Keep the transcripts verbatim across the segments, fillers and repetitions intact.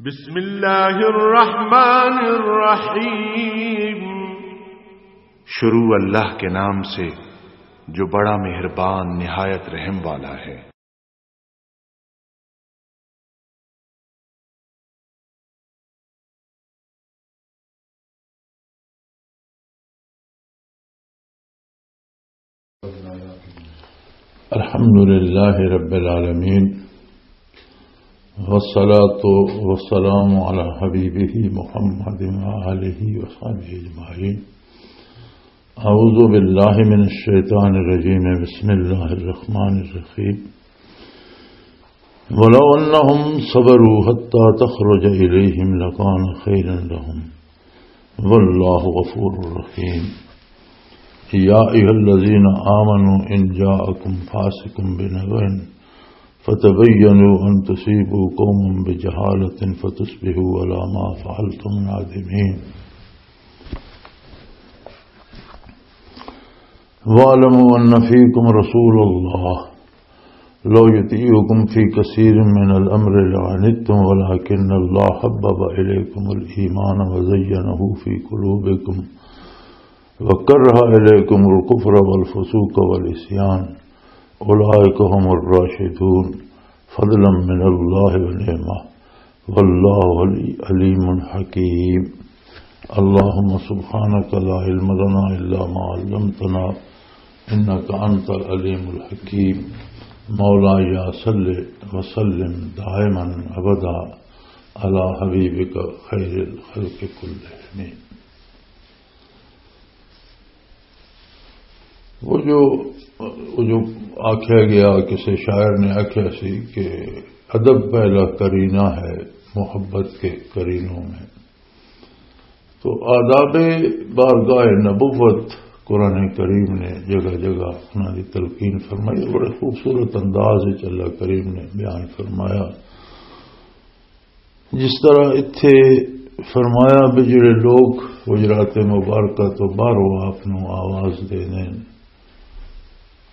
بسم اللہ الرحمن الرحیم۔ شروع اللہ کے نام سے، جو بڑا مہربان، نہایت رحم والا ہے۔ الحمد لله رب العالمين، والصلاة والسلام على حبيبه محمد وآله وصحبه أجمعين. أعوذ بالله من الشيطان الرجيم. بسم الله الرحمن الرحيم. ولو أنهم صبروا حتى تخرج إليهم لكان خيرا لهم. والله غفور رحيم. يا أيها الذين آمنوا إن جاءكم فاسق بنبأ فتبينوا أن تصيبوا قوما بجهالة فتصبحوا على ما فعلتم نادمين. واعلموا أن فيكم رسول الله لو يطيعكم في كثير من الأمر لعنتم ولكن الله حبب إليكم الإيمان وزينه في قلوبكم وكره إليكم الكفر والفسوق والعصيان أولئك هم الراشدون فضلا من الله ونعمة والله عليم حكيم. اللهم سبحانك لا علم لنا إلا ما علمتنا إنك أنت العليم الحكيم. مولاي صل وسلم دائما أبدا على حبيبك خير الخلق كلهم. وہ جو وہ جو آکھیا گیا، کسی شاعر نے آکھیا سی کہ ادب پہلا قرینہ ہے محبت کے قرینوں میں۔ تو آداب بارگاہ نبوت قرآن کریم نے جگہ جگہ انہاں دی تلقین فرمائی، بڑے خوبصورت انداز وچ اللہ کریم نے بیان فرمایا۔ جس طرح اتھے فرمایا بھی جڑے لوگ حجرات مبارکہ تو باہروں آپ نو آواز دے دین،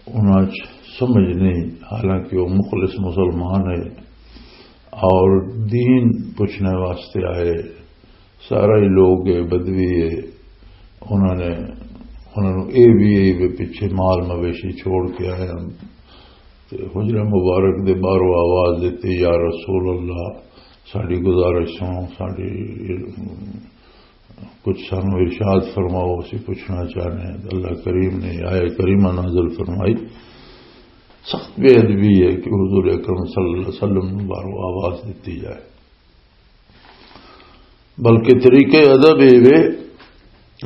انہاں چ سمجھ نہیں، حالانکہ وہ مخلص مسلمان ہے اور دین پوچھنے واسطے آئے۔ سارا ہی لوگ ہے، بدوی ہے، انہاں نے انہاں نو اے بھی ہے بھی پیچھے مال مویشی چھوڑ کے آئے ہن۔ تے حجرہ مبارک دے باہروں آواز دتی، "یا رسول اللہ، ساڈی گزارش سنو، ساڈی کچھ سانو ارشاد فرماؤ، اسی پوچھنا چاہنے ہیں۔" اللہ کریم نے آیت کریمہ نازل فرمائی۔ سخت بے ادبی ہے کہ حضور اکرم صلی اللہ علیہ وسلم نو باہروں آواز دتی جائے، بلکہ طریقہ ادب اے وے،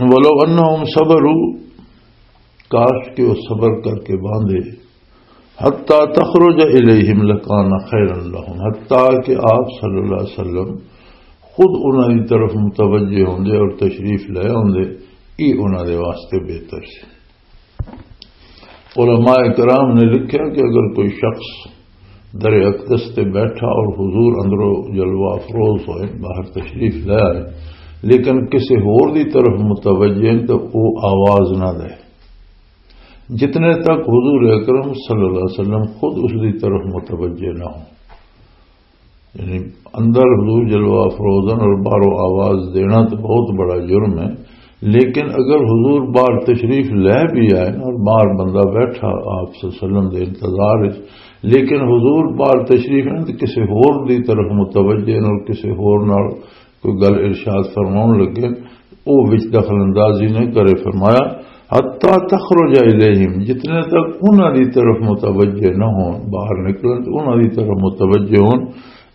"ولو انہم صبروا"، کاش کہ وہ صبر کر کے باندھے، "حتی تخرج الیہم لکان خیرا لہم"، حتی کہ آپ صلی اللہ علیہ وسلم خود انہاں دی طرف متوجہ ہوندے اور تشریف لے آندے، یہ انہاں دے واسطے بہتر سی۔ علماء کرام نے لکھا کہ اگر کوئی شخص در اقدس تے بیٹھا اور حضور اندروں جلوہ افروز ہوئے، باہر تشریف لے آئے، لیکن کسی ہور دی طرف متوجہ ہیں تو وہ آواز نہ دے، جتنے تک حضور اکرم صلی اللہ علیہ وسلم خود اس دی طرف متوجہ نہ ہو۔ یعنی اندر حضور جلوہ افروز ہن اور باہروں آواز دینا تو بہت بڑا جرم ہے، لیکن اگر حضور باہر تشریف لے بھی آئے اور باہر بندہ بیٹھا آپ صلی اللہ علیہ وسلم دے انتظار وچ، لیکن حضور باہر تشریف نہ تے کسی ہور دی طرف متوجہ نہ اور کسی ہور نال کوئی گل ارشاد فرماؤن لگے، او وچ دخل اندازی نہ کرے۔ فرمایا، "حتی تخرج الیہم"، جتنے تک انہاں دی طرف متوجہ نہ ہون، باہر نکلن تے انہاں دی طرف متوجہ ہون،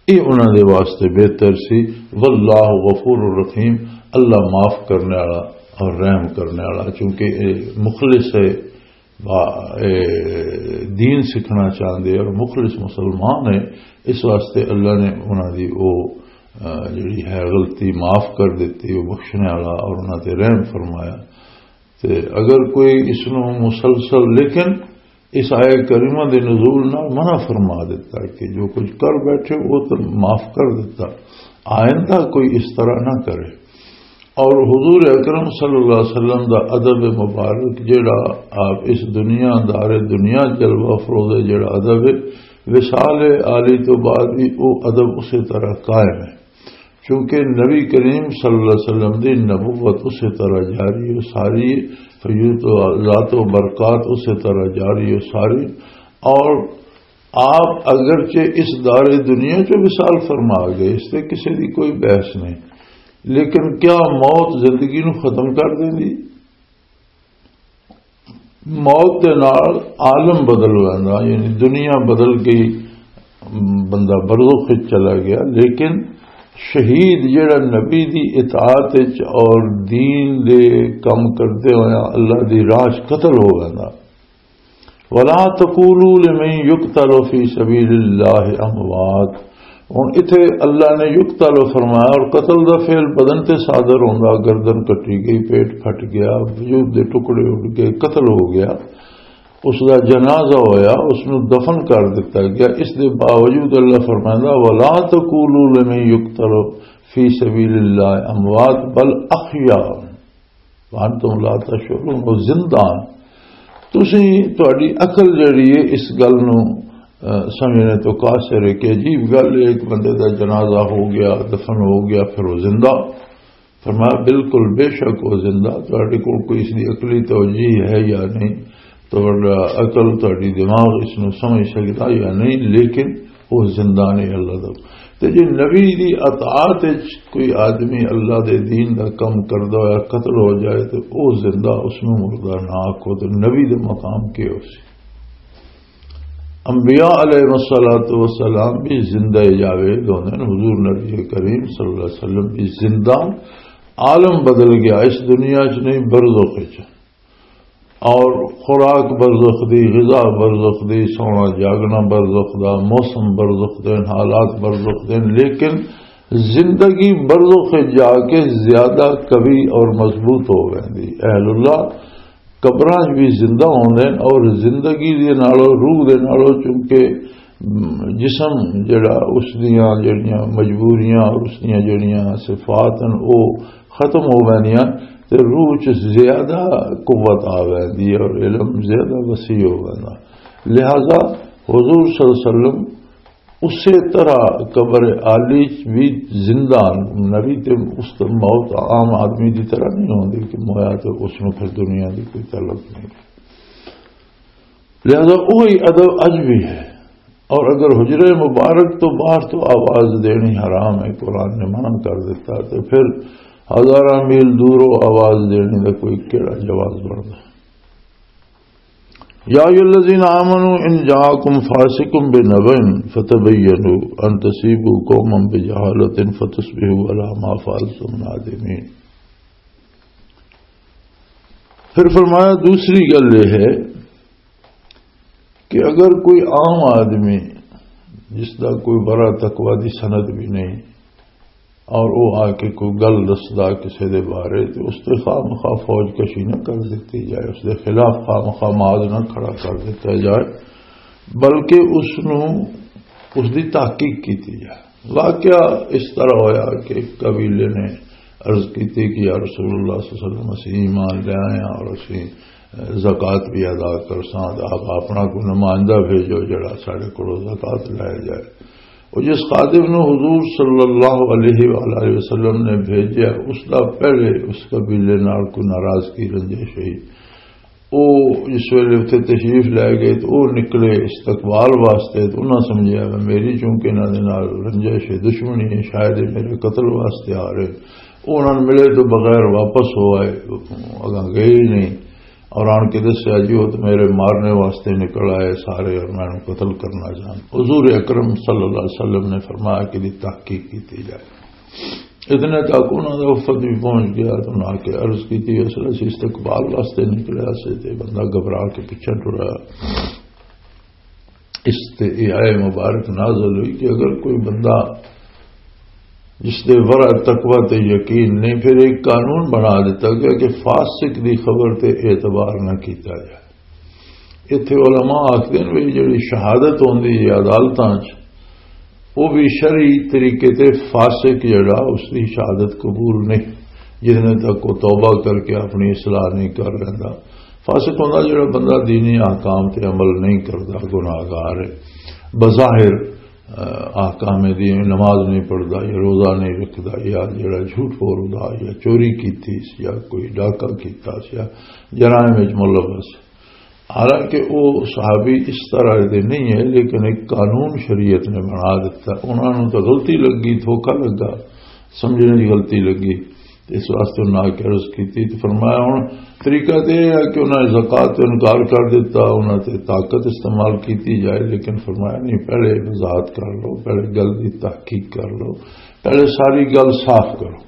یہ انہاں دے واسطے بہتر سی۔ "واللہ غفور الرحیم"، اللہ معاف کرنے والا اور رحم کرنے والا، چونکہ یہ مخلص ہے، با-، اے، دین سیکھنا چاہندے اور مخلص مسلمان ہے، اس واسطے اللہ نے انہاں دی او، آ، جڑی ہے غلطی معاف کر دتی، او بخشنے والا اور انہاں تے رحم فرمایا۔ تے اگر کوئی اس نو مسلسل، لیکن اس آیت کریمہ دے نزول نال منع فرما دیتا کہ جو کچھ کر بیٹھے وہ تو معاف کر دیتا، آئندہ کوئی اس طرح نہ کرے۔ اور حضور اکرم صلی اللہ علیہ وسلم دا ادب مبارک جڑا آپ اس دنیا دار دنیا جلوہ افروز جڑا ادب ہے، وصال عالی تو بعد بھی وہ ادب اسی طرح قائم ہے۔ چونکہ نبی کریم صلی اللہ علیہ وسلم دی نبوت اسی طرح جاری ہے ساری، فیوض و ذات و برکات اسی طرح جاری ہے ساری۔ اور آپ اگرچہ اس دار دنیا چ وصال فرما گئے، اس تے کسی دی کوئی بحث نہیں، لیکن کیا موت زندگی نو ختم کر دیندی؟ موت دے نال عالم بدل ویندا، یعنی دنیا بدل گئی، بندہ برزخ وچ چلا گیا۔ لیکن شہید جڑا نبی دی اطاعت وچ اور دین دے کم کردے ہویا اللہ دی راہ وچ قتل ہو ویندا۔ ولا تقولوا لمن يقتل في سبيل الله اموات۔ ہن اتھے اللہ نے یقتل فرمایا اور قتل دا فعل بدن تے صادر ہوندا، گردن کٹی گئی، پیٹ پھٹ گیا، وجود دے ٹکڑے اڈ گئے، قتل ہو گیا، اس دا جنازہ ہویا، اس نو دفن کر دتا گیا۔ اس دے باوجود اللہ فرمائندا، ولا تقولوا لمن يقتل في سبيل الله اموات بل احياء وانتم لا تشعرون، وہ زندہ ہیں۔ تسی، تہاڈی عقل جڑی ہے اس گل نو، اہ، سمجھنے تو قاصر ہے کہ عجیب گل ہے، ایک بندے دا جنازہ ہو گیا، دفن ہو گیا، پھر وہ زندہ۔ فرمایا، بالکل، بے شک وہ زندہ، تہاڈے کول کوئی اس دی عقلی توجیہ ہے یا نہیں، تہاڈا عقل، تہاڈی دماغ اس نو سمجھ سکدا یا نہیں، لیکن وہ زندہ نہیں اللہ دا۔ تے جے نبی دی اطاعت وچ کوئی آدمی اللہ دے دین دا کم کردا ہویا قتل ہو جائے تے او زندہ، اس نوں مردہ نہ آکھو۔ تے نبی دے مقام کے ہو سی؟ انبیاء علیہ الصلوۃ والسلام بھی زندہ جاوید ہوندے نے۔ حضور نبی کریم صلی اللہ علیہ وسلم بھی زندہ، عالم بدل گیا، اس دنیا چ نہیں، برزخ وچ۔ اور خوراک برزخ دی، غذا برزخ دی، سونا جاگنا برزخ دا، موسم برزخ دے، حالات برزخ دے، لیکن زندگی برزخ جا کے زیادہ قوی اور مضبوط ہو ویندی۔ اہل اللہ قبراں وچ بھی زندہ ہوندے نے اور زندگی دے نالوں، روح دے نالوں، چونکہ جسم جڑا، اس دیاں جڑیاں مجبوریاں اور اس دیاں جڑیاں صفات ہیں، او ختم ہو ویندیاں تے روح چ زیادہ قوت آ ویندی ہے اور علم زیادہ وسیع ہو ویندا۔ لہذا حضور صلی اللہ علیہ وسلم اسی طرح قبر عالی چ بھی زندہ ہن۔ نبی تے اس تے موت عام آدمی دی طرح نہیں ہوندی کہ مویا تے اس نوں پھر دنیا دی کوئی طلب نہیں۔ لہذا وہی ادب اج بھی ہے۔ اور اگر حجرہ مبارک تو باہر تو آواز دینی حرام ہے، قرآن نے منع کر دیتا، تو پھر ہزاراں میل دوروں آواز دینے کا کوئی کیڑا جواز بنتا؟ یا ایھا الذین آمنوا ان جاءکم فاسق بنبأ فتبینوا ان تصیبوا قوما بجہالۃ فتصبحوا علی ما فعلتم نادمین۔ پھر فرمایا، دوسری گل یہ ہے کہ اگر کوئی عام آدمی جس دا کوئی بڑا تقوی دی سند بھی نہیں اور وہ آ کے کوئی گل دسدا کسی دے بارے، تو اس تے خواہ مخواہ فوج کشی نہ کر دیتی جائے، اس دے خلاف خواہ مخواہ معاذ نہ کھڑا کر دیتا جائے، بلکہ اس نو، اس دی تحقیق کیتی جائے۔ واقعہ اس طرح ہویا کہ ایک قبیلے نے عرض کیتی کہ یا رسول اللہ صلی اللہ علیہ وسلم، اسی ایمان لے آئے ہیں اور اسی زکوٰۃ بھی ادا کرساں، تے آپ اپنا کوئی نمائندہ بھیجو جڑا ساڈے کولوں زکوٰۃ لے جائے۔ اور جس خادم نو حضور صلی اللہ علیہ وآلہ وسلم نے بھیجیا، اس دا پہلے اس قبیلے نال کوئی ناراضگی، رنجش ہوئی۔ او جس ویلے اتھے تشریف لے گئے تو او نکلے استقبال واسطے، تو انہاں سمجھیا کہ میری چونکہ انہاں دے نال رنجش ہے، دشمنی ہے، شاید یہ میرے قتل واسطے آ رہے۔ او انہاں نوں ملے تو بغیر واپس ہو آئے، اگاں گئے ہی نہیں۔ اور آن کے دسیا، جی وہ تو میرے مارنے واسطے نکل آئے سارے اور میں انہوں قتل کرنا چاہتا۔ حضور اکرم صلی اللہ علیہ وسلم نے فرمایا کہ دی تحقیق کی جائے۔ اتنے تک انہوں نے وفد بھی پہنچ گیا تو انہوں نے آ کے عرض کی تھی، اصل اسی استقبال واسطے نکلیا سے تے بندہ گھبرا کے پیچھے ٹرا۔ اس تے یہ آئے مبارک نازل ہوئی کہ اگر کوئی بندہ جس دے ورع تقوی تے یقین نہیں، پھر ایک قانون بنا دیتا گیا کہ فاسق دی خبر تے اعتبار نہ کیتا جائے۔ ایتھے علماء آکھدے نے بھی جڑی شہادت ہوندی ہے عدالتاں چ، وہ بھی شرعی طریقے تے فاسق جڑا، اس دی شہادت قبول نہیں، جتنے تک وہ توبہ کر کے اپنی اصلاح نہیں کر لیندا۔ فاسق ہوندا جڑا بندہ دینی احکام تے عمل نہیں کردا، گناہگار ہے۔ بظاہر احکام دی، نماز نہیں پڑھدا یا روزہ نہیں رکھدا یا جڑا جھوٹ بولدا یا چوری کیتی یا کوئی ڈاکہ کیتا یا جرائم وچ ملوث۔ حالانکہ وہ صحابی اس طرح دے نہیں ہے، لیکن ایک قانون شریعت نے بنا دیتا۔ انہاں نوں تو غلطی لگی، دھوکا لگا، سمجھنے دی غلطی لگی، اس واسطے انہاں آ کے عرض کیتی۔ تو فرمایا، ہن طریقہ تے یہ ہے کہ انہاں نے زکوٰۃ تو انکار کر دیتا، انہاں تے طاقت استعمال کیتی جائے، لیکن فرمایا نہیں، پہلے وضاحت کر لو، پہلے گل دی تحقیق کر لو، پہلے ساری گل صاف کرو۔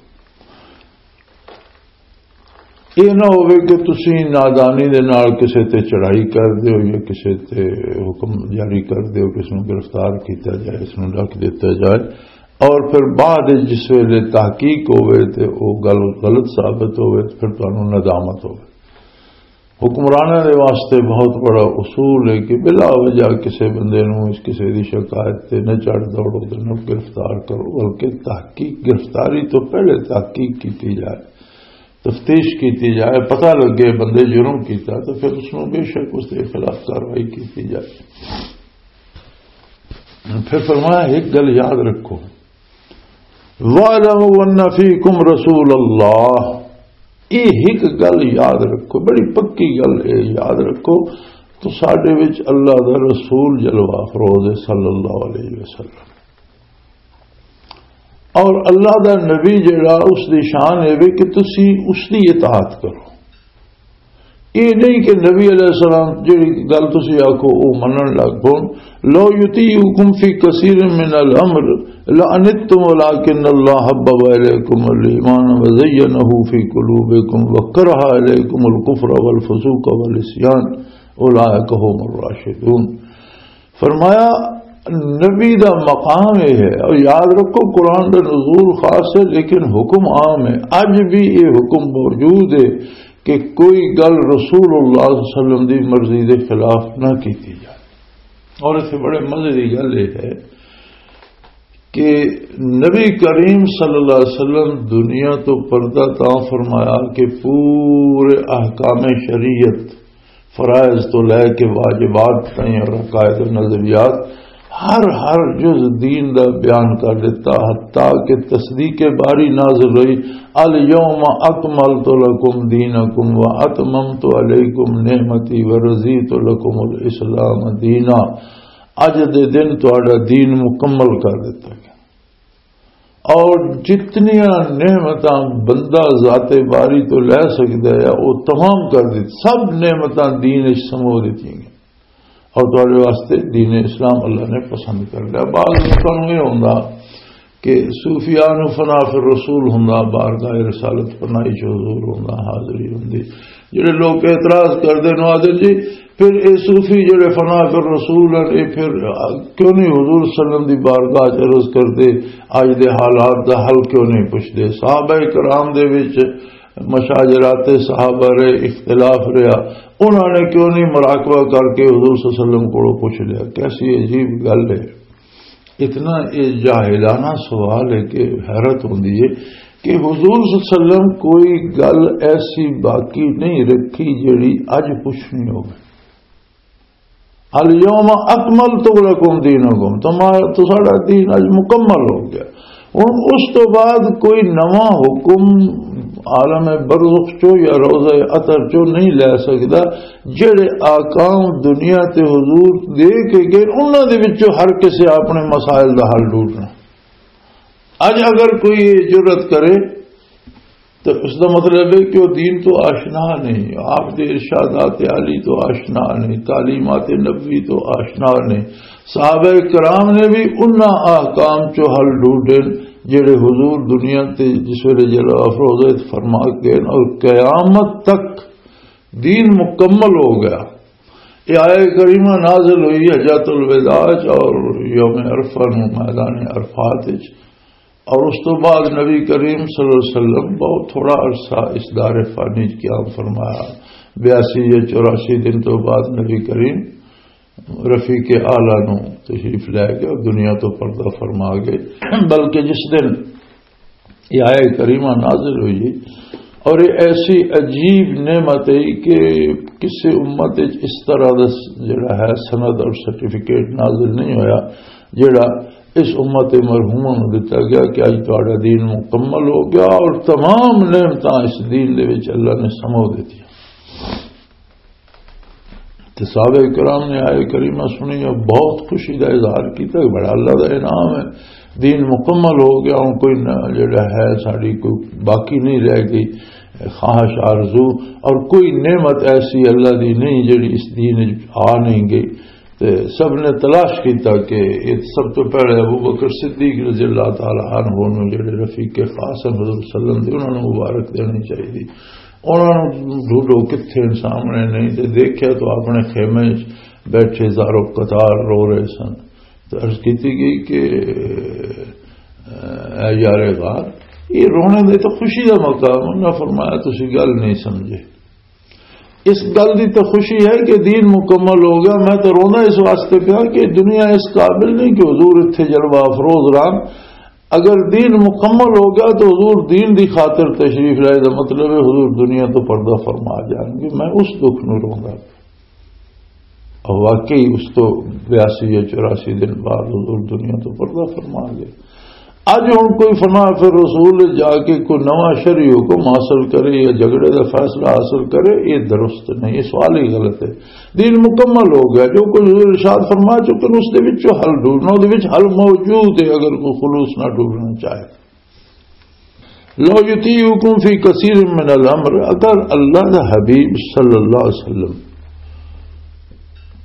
یہ نہ ہوئے کہ تسی نادانی دے نال کسے تے چڑھائی کر دیو یا کسے تے حکم جاری کر دیو کہ اس نوں گرفتار کیتا جائے، اس نوں رکھ دیتا جائے، اور پھر بعد وچ جس ویلے تحقیق ہوئے تے او گل غلط ثابت ہوئے تے پھر تانوں ندامت ہوئے۔ حکمراناں دے واسطے بہت بڑا اصول ہے کہ بلا وجہ کسے بندے نوں اس کسے دی شکایت تے نہ چڑھ دوڑو تے نہ گرفتار کرو، بلکہ تحقیق، گرفتاری تو پہلے تحقیق کیتی جائے، تفتیش کیتی جائے، پتہ لگے بندے جرم کیتا تو پھر اس نوں بے شک اس دے خلاف کاروائی کیتی جائے۔ پھر فرمایا، ایک گل یاد رکھو، وَاعْلَمُوا أَنَّ فِيكُمْ رَسُولَ اللَّهِ۔ یہ ایک گل یاد رکھو، بڑی پکی گل ہے، یاد رکھو، تو ساڈے وچ اللہ دا رسول جلوہ افروز ہے صلی اللہ علیہ وسلم۔ اور اللہ دا نبی جڑا، اس دی شان ہے وے کہ تسی اس دی اطاعت کرو۔ یہ نہیں کہ نبی علیہ السلام جڑی گل تسی آکھو، او منن لگ پون۔ لو یطیعکم فی کثیر من الامر لعنتم ولکن اللہ حبب الیکم الایمان وزینہ فی قلوبکم وکرہ الیکم الکفر والفسوق والعصیان اولئک هم الراشدون۔ فرمایا، نبی دا مقام یہ ہے، اور یاد رکھو، قرآن دا نزول خاص ہے لیکن حکم عام ہے۔ اج بھی یہ حکم موجود ہے کہ کوئی گل رسول اللہ صلی اللہ علیہ وسلم دی مرضی دے خلاف نہ کیتی جائے۔ اور اس سے بڑے مزے دی گل یہ ہے کہ نبی کریم صلی اللہ علیہ وسلم دنیا تو پردہ تاں فرمایا کہ پورے احکام شریعت، فرائض تو لے کے واجبات تائیں اور عقائد و نظریات، ہر ہر جز دین دا بیان کر دیتا، حتیٰ کہ تصدیق باری نازل ہوئی، الیوم اکملت لکم دینکم و اتممت علیکم نعمتی و رضیت لکم الاسلام دینا۔ اج دے دن تہاڈا دین مکمل کر دتا گیا۔ اور جتنیاں نعمتاں بندہ ذات باری تو لے سکدا ہے، وہ تمام کر دتی، سب نعمتاں دین وچ سمو دتیاں گئیاں۔ اور تہاڈے واسطے دین اسلام اللہ نے پسند کر لیا۔ بعض لوکاں نوں یہ ہوندا کہ صوفیاء نوں فنا فی الرسول ہوندا، بارگاہ رسالت فنائی چ حضور ہوندا، حاضری ہوندی۔ جڑے لوگ اعتراض کردے نو آدھے جی، پھر اے صوفی جڑے فنا فی الرسول ہیں، اے پھر کیوں نہیں حضور صلی اللہ علیہ وسلم دی بارگاہ چ عرض کردے، اج دے حالات دا حل کیوں نہیں پوچھدے؟ صحابہ کرام دے وچ مشاجرات صحابہ رہے، اختلاف رہا، انہاں نے کیوں نہیں مراقبہ کر کے حضور صلی اللہ علیہ وسلم کولوں پوچھ لیا؟ کیسی عجیب گل ہے۔ اتنا یہ جاہلانہ سوال ہے کہ حیرت ہوندی ہے کہ حضور صلی اللہ علیہ وسلم کوئی گل ایسی باقی نہیں رکھی جڑی اج پوچھنی ہوگی۔ الیوم اکملت لکم دینکم، تمہارا، تساڈا دین اج مکمل ہو گیا۔ ہن اس تو بعد کوئی نواں حکم عالم برزخ چو یا روضہ اطہر چو نہیں لے سکدا۔ جڑے آکام دنیا تے حضور دے کے گئے، انہاں دے وچوں ہر کسے اپنے مسائل دا حل ڈھونڈنا۔ اج اگر کوئی یہ جرات کرے تو اس دا مطلب ہے کہ وہ دین تو آشنا نہیں، آپ دے ارشادات عالی تو آشنا نہیں، تعلیمات نبوی تو آشنا نہیں۔ صحابہ کرام نے بھی انہاں احکام چو حل ڈھونڈے جڑے حضور دنیا تے جس ویلے جلوہ افروز ہوئے فرما گئے، اور قیامت تک دین مکمل ہو گیا۔ یہ آیہ کریمہ نازل ہوئی حجۃ الوداع چ اور یوم عرفہ نو میدان عرفات وچ، اور اس تو بعد نبی کریم صلی اللہ علیہ وسلم بہت تھوڑا عرصہ اس دار فانی وچ قیام فرمایا۔ بیاسی یا چوراسی دن تو بعد نبی کریم رفیق اعلیٰ نو تشریف لے گئے اور دنیا تو پردہ فرما گئے۔ بلکہ جس دن یہ آیہ کریمہ نازل ہوئی اور یہ ایسی عجیب نعمت ہے کہ کسی امت وچ اس طرح دا جڑا ہے سند اور سرٹیفکیٹ نازل نہیں ہویا۔ جڑا اس امت مرحومہ نوں دتا گیا کہ اج تہاڈا دین مکمل ہو گیا اور تمام نعمتاں اس دین دے وچ اللہ نے سمو دتیاں۔ تے صحابہ کرام نے آئے کریمہ سنی اور بہت خوشی دا اظہار کیتا کہ بڑا اللہ دا انعام ہے، دین مکمل ہو گیا، ہن کوئی نہ جڑا ہے ساڈی کوئی باقی نہیں رہ گئی خواہش آرزو، اور کوئی نعمت ایسی اللہ دی نہیں جڑی اس دین وچ آ نہیں گئی۔ تے سب نے تلاش کیتا کہ یہ سب تو پہلے ابو بکر صدیق رضی اللہ تعالی عنہ نوں جڑے رفیق خاص ہیں حضور صلی اللہ علیہ وسلم دے، انہاں نوں مبارک دینی چاہیے۔ انہاں نوں ڈھونڈو کتھے سامنے نہیں، تے دیکھیا تو اپنے خیمے وچ بیٹھے زارو قطار رو رہے سن۔ تے عرض کیتی گئی کہ اے یار غار، یہ رونے دے تو خوشی دا مقام۔ انہاں فرمایا تسی گل نہیں سمجھے، اس گل دی تو خوشی ہے کہ دین مکمل ہو گیا۔ میں تو روندا اس واسطے پیا کہ دنیا اس قابل نہیں کہ حضور اتھے جلوہ افروز رہن۔ اگر دین مکمل ہو گیا تو حضور دین دی خاطر تشریف لائے، دا مطلب ہے حضور دنیا تو پردہ فرما جان گے۔ میں اس دکھ نوں روندا۔ اور واقعی اس تو بیاسی یا چوراسی دن بعد حضور دنیا تو پردہ فرما گئے۔ اج ہن کوئی فنا فی الرسول جا کے کوئی نواں شرعی حکم حاصل کرے یا جھگڑے دا فیصلہ حاصل کرے، یہ درست نہیں، یہ سوال ہی غلط ہے۔ دین مکمل ہو گیا، جو کچھ حضور ارشاد فرما چکے ہیں، اس دے وچوں حل ڈھونڈنا، اس دے وچ حل موجود ہے، اگر کوئی خلوص نہ ڈھونڈنا چاہے۔ لو یطیعکم فی کثیر من الامر، اگر اللہ دا حبیب صلی اللہ علیہ وسلم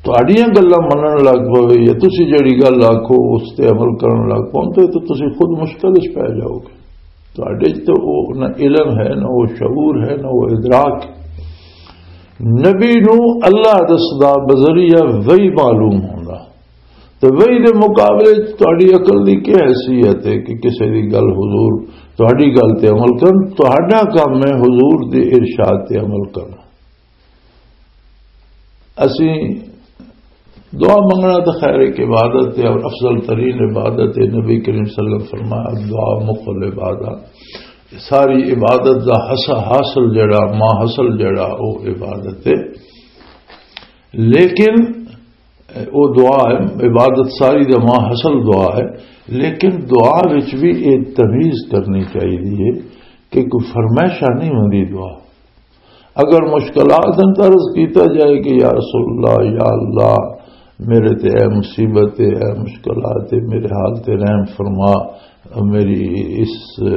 تہاڈیاں گلاں منن لگ پوے یا تسی جڑی گل آکھو اس تے عمل کرن لگ پو، تے تے تسی خود مشکل وچ پے جاؤ گے۔ تہاڈے وچ تے او نہ علم ہے، نہ او شعور ہے، نہ او ادراک۔ نبی نو اللہ دسدا بذریعہ وحی معلوم ہوندا۔ تے وحی دے مقابلے وچ تہاڈی عقل دی کی حیثیت ہے کہ کسے دی گل حضور تہاڈی گل تے عمل کرن؟ تہاڈا کام ہے حضور دے ارشاد تے عمل کرنا۔ اسی دعا منگنا تو خیر ایک عبادت ہے اور افضل ترین عبادت ہے۔ نبی کریم صلی اللہ علیہ وسلم فرمایا، "دعا مخ العبادہ۔" ساری عبادت دا حس-، حاصل جڑا، ما حاصل جڑا، وہ عبادت ہے۔ لیکن وہ دعا ہے، عبادت ساری دا ما حاصل دعا ہے، لیکن دعا وچ بھی ایک تمیز کرنی چاہیے کہ کوئی فرمائشاں نہیں ہوندی دعا۔ اگر مشکلات ہیں تو عرض کیتا جائے کہ یا رسول اللہ، یا اللہ، میرے تے اے مصیبت ہے، اے مشکلات ہے، میرے حال تے رحم فرما، میری اس، اے،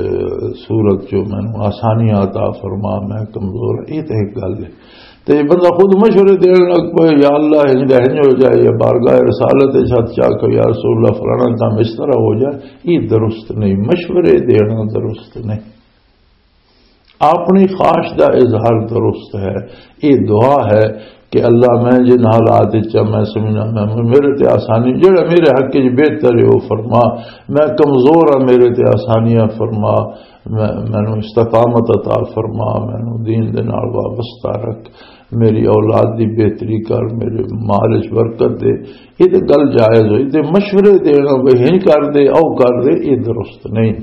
صورت چو مینوں آسانیاں عطا فرما، میں کمزور ہاں۔ یہ تے ایک گل ہے۔ تے بندہ خود مشورے دین لگ پے، یا اللہ، انج دا انج ہو جائے، یا بارگاہ رسالت وچ ہتھ چا کے، یا رسول اللہ، فلانا کام اس طرح ہو جائے، یہ درست نہیں، مشورے دینا درست نہیں۔ اپنی خواہش دا اظہار درست ہے۔ یہ دعا ہے کہ اللہ، میں جن حالات وچ ہاں، میں سمجھنا، میں، میرے تے آسانی، جڑا میرے حق وچ بہتر ہے، وہ فرما۔ میں کمزور ہاں، میرے تے آسانیاں فرما۔ میں، مینوں استقامت عطا فرما، مینوں دین دے نال وابستہ رکھ، میری اولاد دی بہتری کر، میرے مال وچ برکت دے۔ یہ تے گل جائز ہوئی، تے مشورے دینا، بھئی ہنج کر دے، او کر دے، یہ درست نہیں۔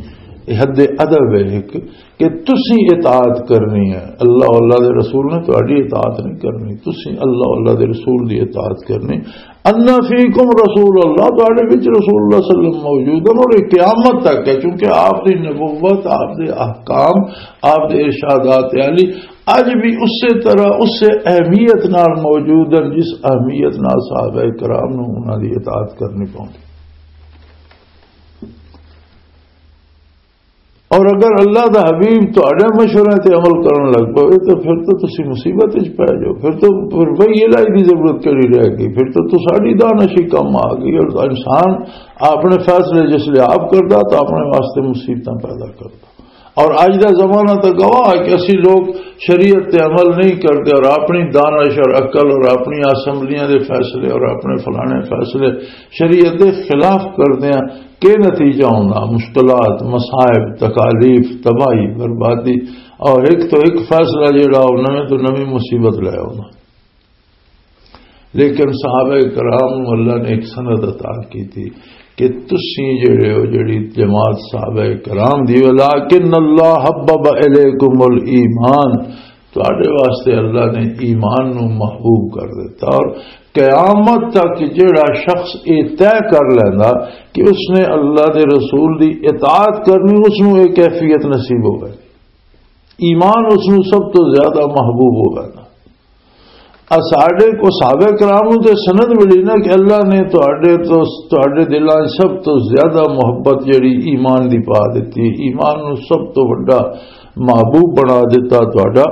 یہ حد ادب ہے ایک کہ تسی اطاعت کرنی ہے، اللہ، اللہ دے رسول نے تہاڈی اطاعت نہیں کرنی، تسی اللہ، اللہ دے رسول دی اطاعت کرنی۔ ان فیکم رسول اللہ، تہاڈے وچ رسول اللہ صلی اللہ علیہ وسلم موجود ہیں اور یہ قیامت تک ہے، کیونکہ آپ دی نبوت، آپ دے احکام، آپ دے ارشادات عالی اج بھی اسی طرح، اسی اہمیت نال موجود ہیں جس اہمیت نال صحابہ کرام نوں انہاں دی اطاعت کرنی پوندی۔ اور اگر اللہ دا حبیب تہاڈے مشورے تے عمل کرن لگ پے تو پھر تو تسی مصیبت وچ پے جاؤ، پھر تو، پھر وہی الہی دی ضرورت کیڑی رہ گئی؟ پھر تو تساڈی دانش ہی کم آ گئی۔ اور انسان اپنے فیصلے جس لئے آپ کردا تو اپنے واسطے مصیبتاں پیدا کردا۔ اور اج دا زمانہ تو گواہ ہے کہ اسی لوگ شریعت تے عمل نہیں کرتے اور اپنی دانش اور عقل اور اپنی اسمبلیاں دے فیصلے اور اپنے فلانے فیصلے شریعت دے خلاف کرتے ہیں۔ کہ نتیجہ ہونا؟ مشکلات، مصائب، تکالیف، تباہی، بربادی، اور ایک تو ایک فیصلہ جڑا وہ نویں تو نویں مصیبت لے آنا۔ لیکن صحابہ کرام نوں اللہ نے ایک سند عطا کی تھی کہ تسی جڑے ہو، جڑی جماعت صحابہ کرام دی، وَلَٰكِنَّ اللَّهَ حَبَّبَ إِلَيْكُمُ الْإِيمَانَ، تہاڈے واسطے اللہ نے ایمان نو محبوب کر دیتا۔ اور قیامت تک جیڑا شخص یہ طے کر لیندا کہ اس نے اللہ دے رسول دی اطاعت کرنی، اس نو یہ کیفیت نصیب ہوگی۔ ایمان اس نو سب تو زیادہ محبوب ہوگا۔ اساڈے کو صحابہ کرام نو تے سند ملی نا کہ اللہ نے تہاڈے تو، تہاڈے دلاں 'چ سب تو زیادہ محبت جڑی ایمان دی پا دتی، ایمان نو سب تو وڈا محبوب بنا دتا تہاڈا،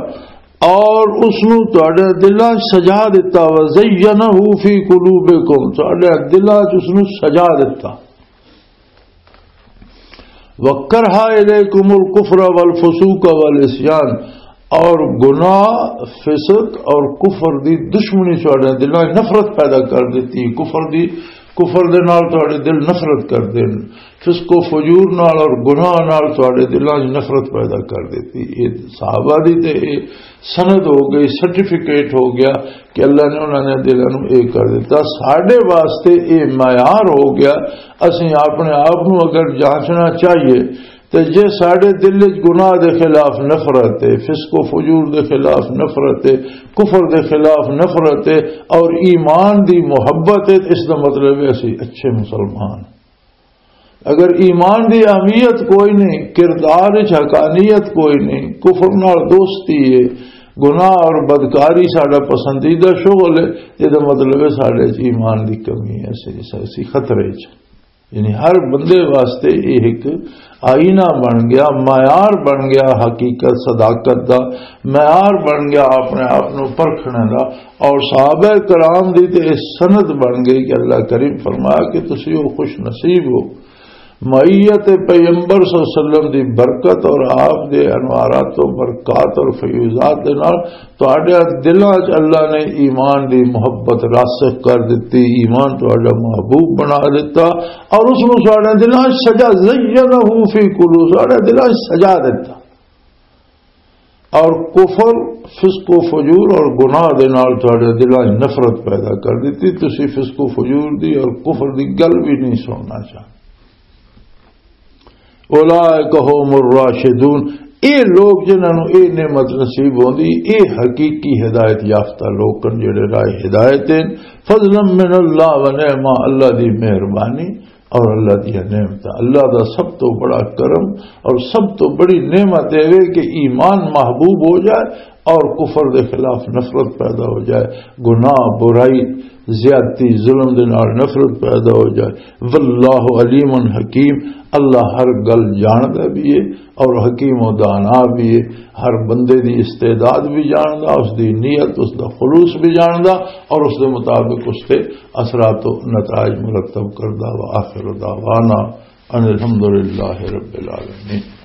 اور اس نو تہاڈے دلاں 'چ سجا دتا، وزینہ فی قلوبکم، تہاڈے دلاں 'چ اس نو سجا دتا۔ وَكَرَّهَ إِلَيْكُمُ الْكُفْرَ وَالْفُسُوقَ وَالْعِصْيَانَ، اور گناہ، فسق اور کفر دی دشمنی تہاڈے دلاں 'چ نفرت پیدا کر دتی۔ کفر دی، کفر دے نال تہاڈے دل نفرت کر دین، فسق و فجور نال اور گناہ نال تہاڈے دلاں 'چ نفرت پیدا کر دتی۔ یہ صحابہ دی تے یہ سند ہو گئی، سرٹیفکیٹ ہو گیا کہ اللہ نے انہاں نے دلاں نوں اے کر دتا۔ ساڈے واسطے اے معیار ہو گیا۔ اسیں اپنے آپ نوں اگر جانچنا چاہیے تے جے ساڈے دل وچ گناہ دے خلاف نفرت ہے، فسق و فجور دے خلاف نفرت ہے، کفر دے خلاف نفرت ہے اور ایمان دی محبت ہے، اس دا مطلب ہے اسی اچھے مسلمان۔ اگر ایمان دی اہمیت کوئی نہیں، کردار وچ حقانیت کوئی نہیں، کفر نال دوستی ہے، گناہ اور بدکاری ساڈا پسندیدہ شغل ہے، یہ دا مطلب ہے ساڈے وچ ایمان دی کمی ہے، اسی، اسی خطرے وچ۔ یعنی ہر بندے واسطے یہ ایک آئینہ بن گیا، معیار بن گیا حقیقت صداقت دا، معیار بن گیا اپنے آپ نو پرکھنے دا۔ اور صحابہ کرام دی تے سند بن گئی کہ اللہ کریم فرمایا کہ تسی او خوش نصیب ہو۔ معیت پیغمبر صلی اللہ علیہ وسلم دی برکت اور آپ دے انوارات و برکات اور فیوزات دے نال تہاڈے دلاں 'چ اللہ نے ایمان دی محبت راسخ کر دتی، ایمان تہاڈا محبوب بنا دتا اور اس نوں تہاڈے دلاں 'چ سجا، زینہ فی قلوب، تہاڈے دلاں 'چ سجا دتا۔ اور کفر، فسق و فجور اور گناہ دے نال تہاڈے دلاں 'چ نفرت پیدا کر دتی۔ تسی فسق و فجور دی اور کفر دی گل بھی نہیں سننا چاہتے۔ اولئک هم الراشدون، اے لوگ جنہاں نوں اے نعمت نصیب ہوندی، اے حقیقی ہدایت یافتہ لوگ ہن جڑے راہ ہدایت ہن۔ فضلا من اللہ و نعمہ، اللہ دی مہربانی اور اللہ دی نعمت۔ اللہ دا سب تو بڑا کرم اور سب تو بڑی نعمت اے وے کہ ایمان محبوب ہو جائے اور کفر دے خلاف نفرت پیدا ہو جائے، گناہ، برائی، زیادتی، ظلم دے نال نفرت پیدا ہو جائے۔ واللہ علیم حکیم، اللہ ہر گل جاندا بھی ہے اور حکیم و دانا بھی ہے، ہر بندے دی استعداد بھی جاندا، اس دی نیت، اس دا خلوص بھی جاندا اور اس دے مطابق اس تے اثرات و نتائج مرتب کردا۔ وآخر دعوانا ان الحمد للہ رب العالمین۔